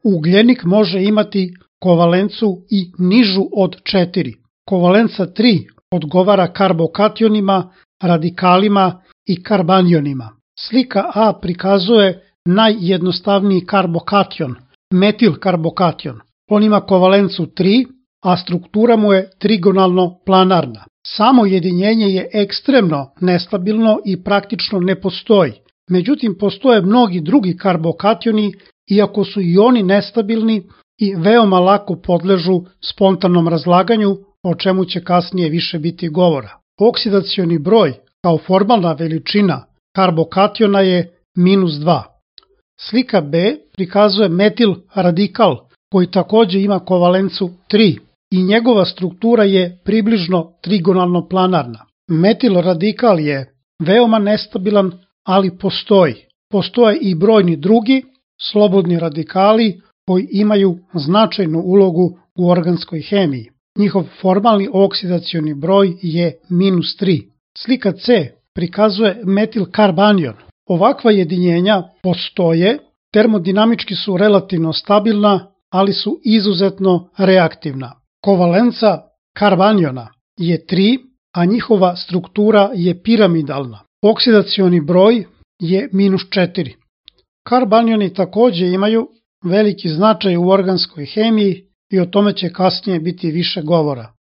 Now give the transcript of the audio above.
Ugljenik može imati kovalencu i nižu od 4. Kovalenca 3 odgovara karbokationima, radikalima i karbanionima. Slika A prikazuje najjednostavniji karbokation, metilkarbokation. On ima kovalencu 3, a struktura mu je trigonalno planarna. Samo jedinjenje je ekstremno nestabilno i praktično ne postoji. Međutim, postoje mnogi drugi karbokationi, iako su i oni nestabilni i veoma lako podležu spontanom razlaganju, o čemu će kasnije više biti govora. Oksidacioni broj kao formalna veličina karbokationa je -2. Slika B prikazuje metil radikal koji takođe ima kovalencu 3 i njegova struktura je približno trigonalno planarna. Metil radikal je veoma nestabilan, ali postoji. Postoje i brojni drugi slobodni radikali koji imaju značajnu ulogu u organskoj hemiji. Njihov formalni oksidacioni broj je -3. Slika C prikazuje metilkarbanion. Ovakva jedinjenja postoje, termodinamički su relativno stabilna, ali su izuzetno reaktivna. Kovalenca karbaniona je 3, a njihova struktura je piramidalna. Oksidacioni broj je -4. Karbanioni takođe imaju veliki značaj u organskoj hemiji i o tome će kasnije biti više govora.